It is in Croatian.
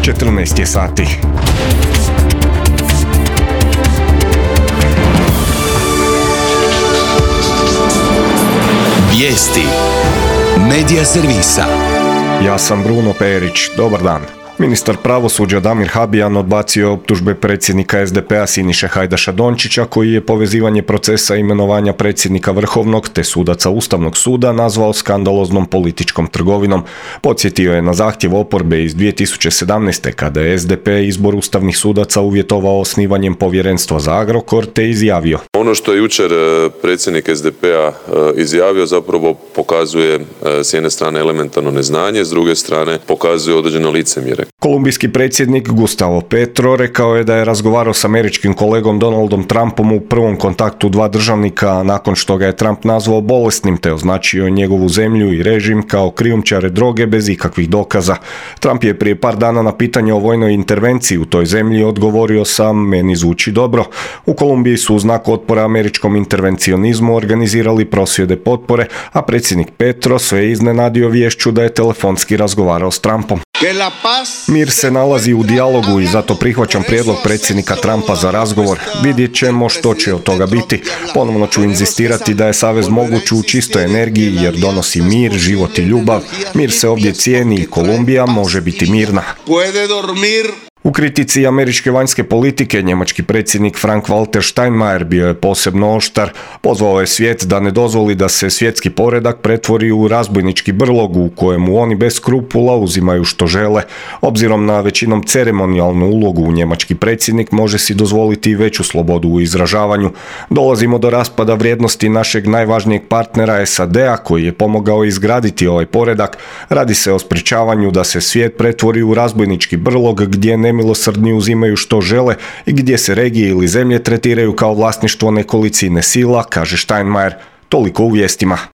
14 je sati. Vijesti Medija servisa. Ja sam Bruno Perić, dobar dan. Ministar pravosuđa Damir Habijan odbacio je optužbe predsjednika SDP-a Siniše Hajdaša Dončića, koji je povezivanje procesa imenovanja predsjednika Vrhovnog te sudaca Ustavnog suda nazvao skandaloznom političkom trgovinom. Podsjetio je na zahtjev oporbe iz 2017. kada je SDP izbor ustavnih sudaca uvjetovao osnivanjem povjerenstva za Agrokor te izjavio: Ono što je jučer predsjednik SDP-a izjavio zapravo pokazuje s jedne strane elementarno neznanje, s druge strane pokazuje određeno licemjerje. Kolumbijski predsjednik Gustavo Petro rekao je da je razgovarao s američkim kolegom Donaldom Trumpom u prvom kontaktu dva državnika nakon što ga je Trump nazvao bolesnim te označio njegovu zemlju i režim kao krijumčare droge bez ikakvih dokaza. Trump je prije par dana na pitanje o vojnoj intervenciji u toj zemlji odgovorio sam: meni zvuči dobro. U Kolumbiji su u znak otpora američkom intervencionizmu organizirali prosvjede potpore, a predsjednik Petro sve iznenadio viješću da je telefonski razgovarao s Trumpom. Mir se nalazi u dijalogu i zato prihvaćam prijedlog predsjednika Trumpa za razgovor. Vidjet ćemo što će od toga biti. Ponovno ću inzistirati da je savez moguć u čistoj energiji jer donosi mir, život i ljubav. Mir se ovdje cijeni i Kolumbija može biti mirna. U kritici američke vanjske politike njemački predsjednik Frank-Walter Steinmeier bio je posebno oštar. Pozvao je svijet da ne dozvoli da se svjetski poredak pretvori u razbojnički brlog u kojemu oni bez skrupula uzimaju što žele. Obzirom na većinom ceremonijalnu ulogu, njemački predsjednik može si dozvoliti veću slobodu u izražavanju. Dolazimo do raspada vrijednosti našeg najvažnijeg partnera SAD-a koji je pomogao izgraditi ovaj poredak. Radi se o sprječavanju da se svijet pretvori u razbojnički brlog gdje nemilosrdni uzimaju što žele i gdje se regije ili zemlje tretiraju kao vlasništvo nekolicine sila, kaže Steinmeier. Toliko u vijestima.